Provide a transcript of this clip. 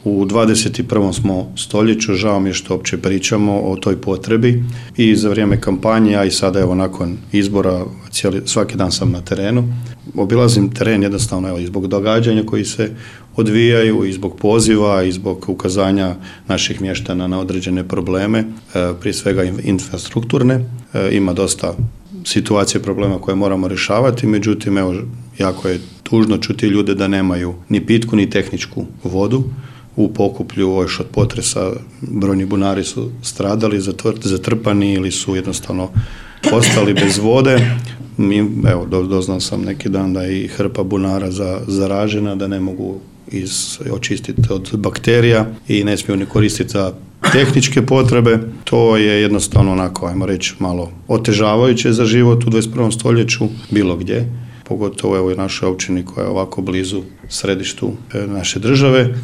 U 21. smo stoljeću, žao mi je što uopće pričamo o toj potrebi i za vrijeme kampanje, a i sada evo nakon izbora svaki dan sam na terenu. Obilazim teren jednostavno i zbog događanja koji se odvijaju i zbog poziva i zbog ukazanja naših mještana na određene probleme, prije svega infrastrukturne. Ima dosta situacije, problema koje moramo rješavati, međutim evo jako je tužno čuti ljude da nemaju ni pitku ni tehničku vodu. U Pokuplju još od potresa brojni bunari su stradali, zatrpani ili su jednostavno ostali bez vode. Evo, doznao sam neki dan da je i hrpa bunara zaražena, da ne mogu očistiti od bakterija i ne smiju ni koristiti za tehničke potrebe. To je jednostavno onako, ajmo reći, malo otežavajuće za život u 21. stoljeću, bilo gdje, pogotovo evo i našoj općini koja je ovako blizu središtu naše države.